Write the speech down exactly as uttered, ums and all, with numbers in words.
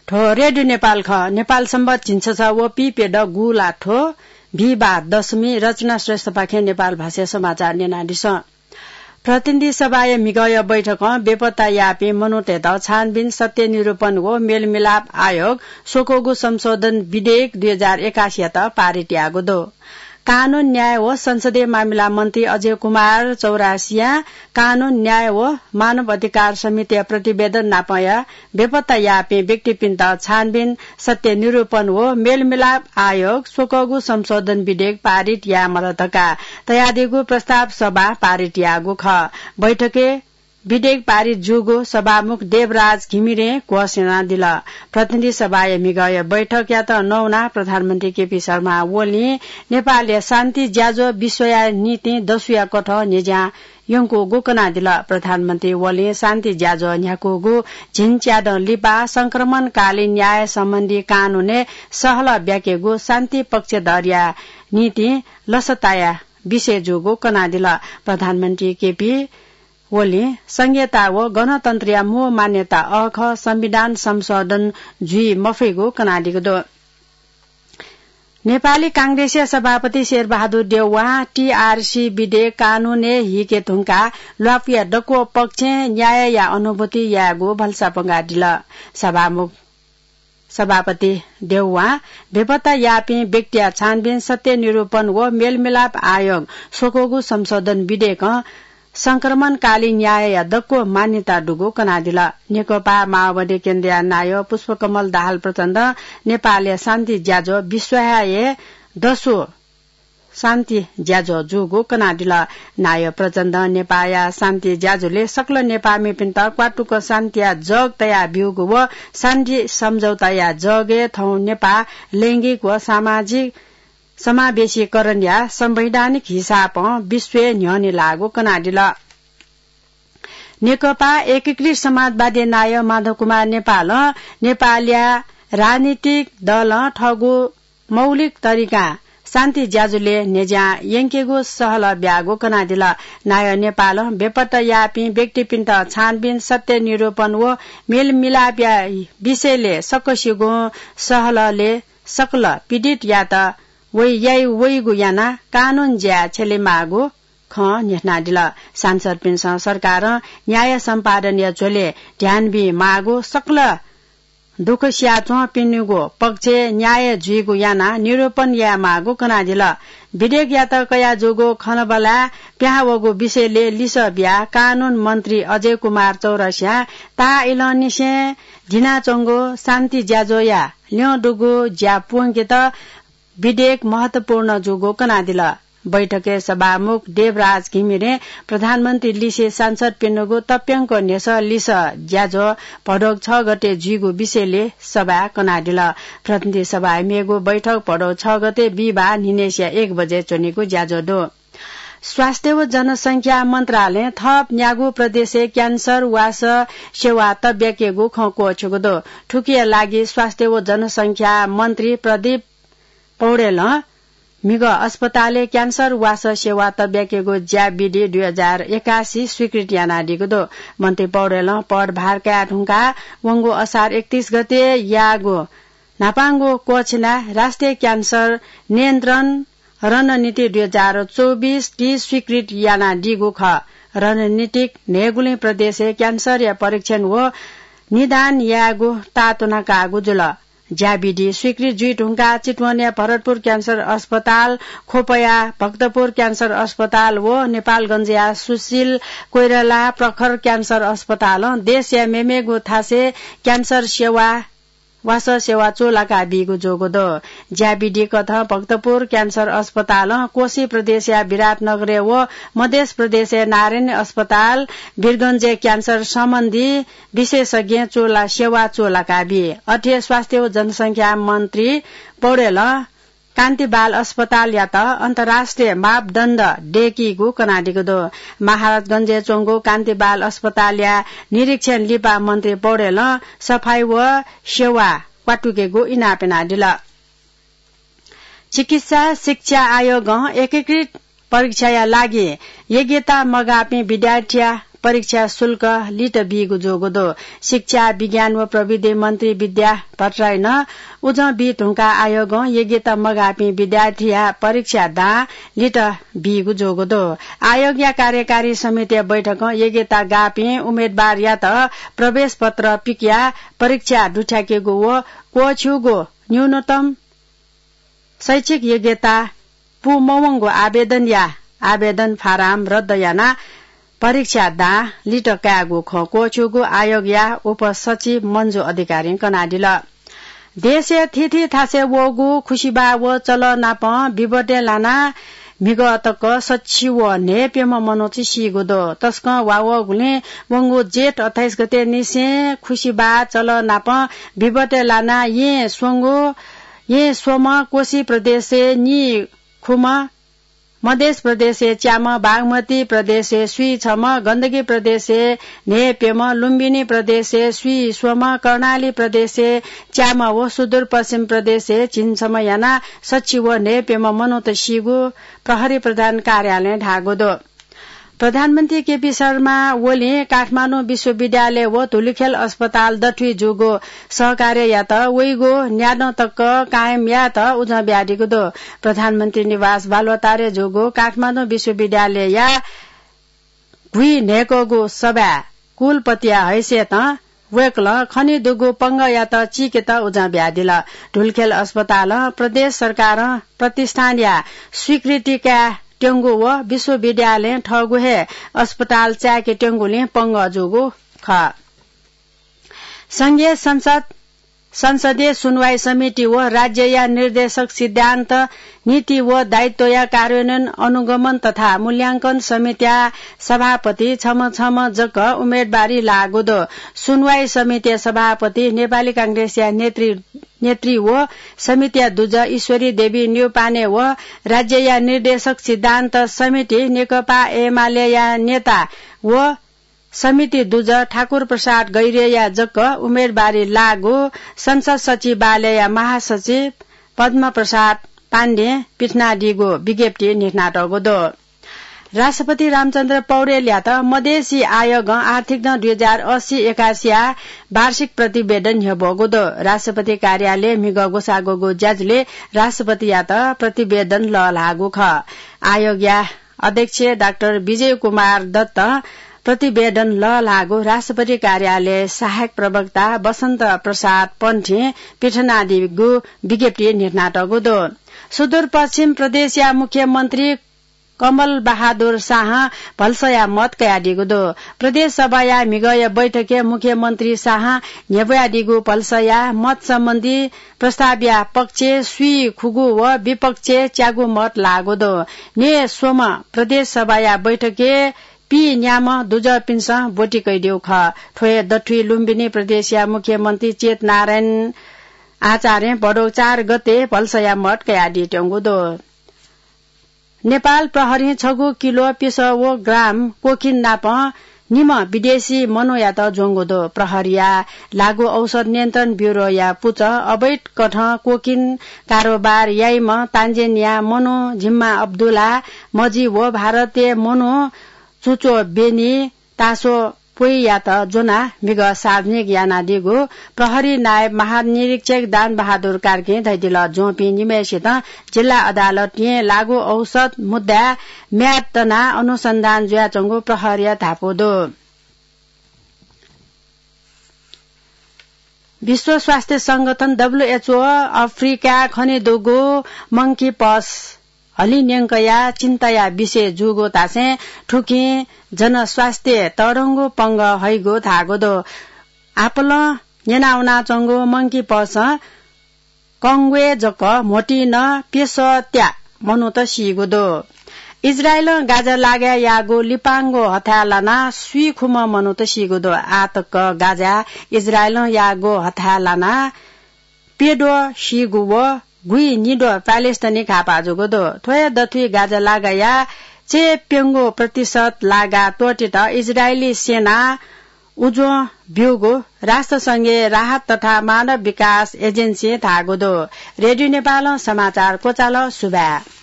थ्व रेडियो नेपाल खः। नेपाल संवत झिंछसः व पीप्यदँ गुंलाथ्व बिहिबार दशमी। रचना श्रेष्ठपाखें नेपाल भाषाया समाचार न्यनादिसँ। प्रतिनिधि सभाया म्हिगःया बैठकं बेपत्ता याःपिं मनूतय्त छानबिन, सत्य निरूपण व मेलमिलाप आयोग स्वक्वःगु संशोधन विधेयक दुई हजार एकासीयात पारित याःगु दु। कानून, न्याय व संसदीय मामिला मन्त्री अजय कुमार चौरासियां कानून, न्याय व मानव अधिकार समितिया प्रतिवेदन नापंया बेपत्ता याःपिं व्यक्तिपिन्त छानबिन, सत्य निरूपण व मेलमिलाप आयोग स्वक्वःगु संशोधन विधेयक पारित याये माल धकाः तयादीगु प्रस्ताव सभां पारित याःगु खः। बैठकय् विधेयक पारित जूगु सभामुख देवराज घिमिरें क्वःछिनादिल। प्रतिनिधि सभाया म्हिगःया बैठकयात नवानाः प्रधानमन्त्री केपी शर्मा ओलीं नेपालया शान्ति ज्याझ्वः विश्वया निंतिं दसुया कथं न्ह्यज्यां यंकूगु कनादिल। प्रधानमन्त्री ओलीं शान्ति ज्याझ्वः न्ह्याकूगु झिंच्यादँ लिपा संक्रमणकालीन न्याय सम्बन्धी कानूनय् सहलह ब्याकेगु शान्ति पक्षधरया निंतिं लसताया विषय जूगु कनादिल। प्रधानमन्त्री केपी ओलीं संघीयता व गणतन्त्रया मू मान्यता अःखः संविधान संशोधन जुइ मफइगु कनादीगु दु। नेपाली कांग्रेसया सभापति शेरबहादुर देउवां टीआरसी विधेयक कानूनय् हीके धुंकाः ल्वापुया दक्व पक्षं न्यायया अनुभूति यायेगु भलसा पंगादिल। सभामुख सभापति देउवां बेपत्ता याःपिं व्यक्तिया छानबिन, सत्य निरूपण व मेलमिलाप आयोग स्वक्वःगु संशोधन विधेयकं संक्रमणकालीन न्यायया दक्व मान्यता दुगु कनादिल। नेकपा माओवादी केन्द्रया नायः पुष्पकमल दाहाल प्रचण्डं नेपालया शान्ति ज्याझ्वः विश्वया हे दसु शान्ति ज्याझ्वः जूगु कनादिल। नायः प्रचण्डं नेपाःया शान्ति ज्याझ्वलय् सकल नेपाःमिपिन्त क्वातुक शान्तिया जग तयाब्यूगु व शान्ति सम्झौताया जगय् थौं नेपाः लैंगिक व सामाजिक समावेशीकरणया संवैधानिक हिसाबं विश्वय् न्ह्यःने लाःगु कनादिल। नेकपा एकीकृत समाजवादी नायः माधव कुमार नेपालं नेपालया राजनीतिक दलं थःगु मौलिक तरिकां शान्ति ज्याझ्वलय् न्ह्यज्यां यंकेगु सहलह ब्याःगु कनादिल। नायः नेपालं बेपत्ता याःपिं व्यक्तिपिन्त छानबिन, सत्य निरूपण व मेलमिलापया विषयलय् सकसिगुं सहलहलय् सकल पीडितयात वइ याइ वइगु यानाः कानून ज्याय् छ्यलेमाःगु खँ न्ह्यथनादिल। सांसदपिन्सं सरकारं न्याय सम्पादनया झ्वलय् ध्यान बीमाःगु, सकल दुःख सियाच्वंपिनिगु पक्षय् न्याय जुइगु यानाः निरूपण यायेमाःगु कनादिल। विधेयकयात कयाजूगु खँल्हाबल्हाय् पिहां वःगु विषयलय् लिसः बियाः कानून मन्त्री अजय कुमार चौरसियां ताःइलंनिसें दिनाच्वंगु शान्ति ज्याझ्वःया ल्यं दुगु ज्या पूवंकेत विधेयक महत्वपूर्ण जूगु कनादिल। बैठकय् सभामुख देवराज घिमिरें प्रधानमन्त्री लिसे सांसदपिनिगु तप्यंक न्ह्यसः लिसः ज्याझ्वः भदौ छ गते जुइगु विषयलय् सभाय् कनादिल। प्रतिनिधि सभाय् मेगु बैठक भदौ छ गते बिहिबाः न्हिनय्सिया एक बजे च्वनीगु ज्याझ्वः दु। स्वास्थ्य व जनसंख्या मन्त्रालयं थप न्यागू प्रदेशय् क्यान्सर वासः सेवा तब्याकेगु खँ क्वःछ्यूगु दु। थुकिया लागि स्वास्थ्य व जनसंख्या मन्त्री प्रदीप पौडेलं म्हिगः अस्पतालय् क्यान्सर वासः सेवा तब्याकेगु ज्या विधि दुई हजार एकासी स्वीकृत यानादीगु दु। मन्त्री पौडेलं पदभार काये धुंकाः वंगु असार एकतीस गते याःगु न्हापांगु क्वःछिनाः राष्ट्रिय क्यान्सर नियन्त्रण रणनीति दुई हजार चौबिस टी स्वीकृत यानादीगु खः। रणनीतिक न्हय्गुलिं प्रदेशय् क्यान्सरया परीक्षण व निदान यायेगु ताःतुना काःगु जुल। ज्या विधि स्वीकृत जुइ धुंकाः चितवनया भरतपुर क्यान्सर अस्पताल, ख्वपया भक्तपुर क्यान्सर अस्पताल व नेपालगञ्जया सुशील कोइराला प्रखर क्यान्सर अस्पतालं देशया मेमेगु थासय् क्यान्सर सेवा वासः सेवा चूलाका बीगु जूगु दु। ज्या विधि कथं भक्तपुर क्यान्सर अस्पतालं कोशी प्रदेशया विराटनगरय् व मधेश प्रदेशय् नारायणी अस्पताल वीरगञ्जय् क्यान्सर सम्बन्धी विशेषज्ञ चूला सेवा चूलाका बी। अथे स्वास्थ्य व जनसंख्या मन्त्री पौडेलं कान्ति बाल अस्पतालयात अन्तर्राष्ट्रिय मापदण्ड दय्कीगु कनादीगु दु। महाराजगञ्जय् च्वंगु कान्ति बाल अस्पतालया निरीक्षण लिपा मन्त्री पौडेलं सफाई व सेवा क्वातुकेगु इनाप यानादिल। चिकित्सा शिक्षा आयोगं एकीकृत परीक्षाया लागि योग्यता मगाःपिं विद्यार्थीया परीक्षा शुल्क लित बीगु जूगु दु। शिक्षा, विज्ञान व प्रविधि मन्त्री विद्या भट्टराईनं उजं बी धुंकाः आयोगं योग्यता मगाःपिं विद्यार्थीया परीक्षा दां लित बीगु जूगु दु। आयोगया कार्यकारी समितिया बैठकं योग्यता गाःपिं उम्मेदवारयात प्रवेश पत्र पिकयाः परीक्षा दुथ्याकेगु व क्वःछिउगु न्यूनतम शैक्षिक योग्यता पूमवंगु आवेदनया आवेदन फाराम रद्द यानाः परीक्षा दां लित कायेगु खँ क्वःछिउगु आयोगया उपसचिव मन्जु अधिकारीं कनादिल। देशया थीथी थासय् वःगु खुसिबाः व चलः नाप विबटे लानाः म्हिगः तक सच्छि व न्हय्‌प्यम्ह मनूत सीगु दु। तसकं वा वःगुलिं वंगु जेठ अट्ठाइस गते निसें खुसिबाः चलः नाप विबटे लानाः येँ स्वंगु येँ स्वम्ह, कोशी प्रदेशय् नीखुम्ह, मधेस प्रदेशय् च्याम्ह, बागमती प्रदेशय् स्वीछम्ह, गण्डकी प्रदेशय् न्हय्‌प्यम्ह, लुम्बिनी प्रदेशय् स्वीस्वम्ह, कर्णाली प्रदेशय् च्याम्ह व सुदूरपश्चिम प्रदेशय् झिंछम्ह यानाः सच्छि व न्हय्‌प्यम्ह मनूत सीगु प्रहरी प्रधान कार्यालयं धाःगु दु। प्रधानमन्त्री केपी शर्मा ओलीं काठमाडौं विश्वविद्यालय व धुलिखेल अस्पताल दथुइ जूगु सहकार्ययात वइगु न्यादँ तक कायम यायेत उजं बियादीगु दु। प्रधानमन्त्री निवास बालुवाटारय् जूगु काठमाडौं विश्वविद्यालयया गुइ न्हय्‌कःगु सभाय् कुलपतिया हैसियतं वय्‌कलं खनीदुगु पंगःयात चीकेत उजं बियादिल। धुलिखेल अस्पतालं प्रदेश सरकारं प्रतिष्ठानया स्वीकृति कायेत्यंगु व विश्वविद्यालयं थःगु हे अस्पताल चाय्‌केत्यंगुलिं पंगः जूगु खः। संघीय संसद संसदीय सुनवाई समिति व राज्यया निर्देशक सिद्धान्त, नीति व दायित्वया कार्यान्वयन अनुगमन तथा मूल्यांकन समितिया सभापति छम्ह छम्ह जक उम्मेदवारी लाःगु दु। सुनवाई समितिया सभापति नेपाली कांग्रेसया नेतृ, नेतृ व समितिया दुजः ईश्वरी देवी न्यौपाने व राज्यया निर्देशक सिद्धान्त समिति नेकपा एमालेया नेता व समिति दुजः ठाकुर प्रसाद गैह्रेया जक उम्मेदवारी लाःगु संसद सचिवालयया महासचिव पद्म प्रसाद पाण्डें पिथनादीगु विज्ञप्ति न्ह्यथनातःगु दु। राष्ट्रपति रामचन्द्र पौडेलयात मधेसी आयोगं आर्थिक दँ दुई हजार अस्सी एकासीया वार्षिक प्रतिवेदन न्ह्यब्वःगु दु। राष्ट्रपति कार्यालय म्हिगः ग्वसाः ग्वःगु ज्याझ्वलय् राष्ट्रपतियात प्रतिवेदन लःल्हाःगु खः। आयोगया अध्यक्ष डाक्टर विजय कुमार दत्तं प्रतिवेदन लःल्हाःगु राष्ट्रपति कार्यालय सहायक प्रवक्ता वसन्त प्रसाद पन्थीं पिथनादीगु विज्ञप्तिइ न्ह्यथनातःगु दु। सुदूरपश्चिम प्रदेशया मुख्यमन्त्री कमल बहादुर शाहं भलसया मत कयादीगु दु। प्रदेश सभाया म्हिगःया बैठकय् मुख्यमन्त्री शाहं न्ह्यब्वयादीगु भलसया मत सम्बन्धी प्रस्तावया पक्षय् स्वीखुगू व विपक्षय् च्यागू मत लाःगु दु। न्हय् स्वम्ह प्रदेश सभाया बैठकय् पीन्याम्ह दुजःपिन्सं ब्वति कयादीगु खः। थ्व हे दथुइ लुम्बिनी प्रदेशया मुख्यमन्त्री चेत नारायण आचार्यं भदौ चार गते भलसया मत कयादीत्यंगु दु। नेपाल प्रहरीं छगू किलो प्यसः व ग्राम कोकिन नाप निम्ह विदेशी मनूयात ज्वंगु दु। प्रहरीया लागू औषध नियन्त्रण ब्युरोया पुचः अवैध कथं कोकिन कारोबार याइम्ह तान्जेनिया मनू जिम्मा अब्दुल्ला मजी व भारतीय मनू चुचो बेनी तासो पोइयात ज्वनाः म्हिगः सार्वजनिक यानादीगु प्रहरी नायब महानिरीक्षक दान बहादुर कार्कीं धयादिल। ज्वंपिं निम्हय्‌सितं जिल्ला अदालतय् लागू औषध मुद्दाय् म्याद तनाः अनुसन्धान जुयाच्वंगु प्रहरीया धापू दु। विश्व स्वास्थ्य संगठन, डब्ल्युएचओ, अफ्रिकाय् खनेदुगु मंकी पक्स हलिं न्यंकया चिन्ताया विषय जूगु धासें थुकिं जनस्वास्थ्य तःधंगु पंगः हइगु धाःगु दु। आपालं न्यनावनाच्वंगु मंकी पक्सं कंगुय् जक म्होतिं नं प्यसः त्या मनूत सीगु दु। इजरायलं गाजा लागाय् याःगु लिपांगु हथाय् लानाः स्वीखुम्ह मनूत सीगु दु। आः तक गाजाय् इजरायलं याःगु हथाय् लानाः प्यद्वः सीगु व गुइनिद्वः प्यालेस्टाइनी घाःपाः जूगु दु। थ्व हे दथुइ गाजा लागाया चय्प्यंगू प्रतिशत लागा त्वःतेत इजरायली सेनां उज्वः ब्यूगु राष्ट्रसंघीय राहत तथा मानव विकास एजेन्सीं धाःगु दु। रेडियो नेपालं समाचार क्वचाल। सुभाय्।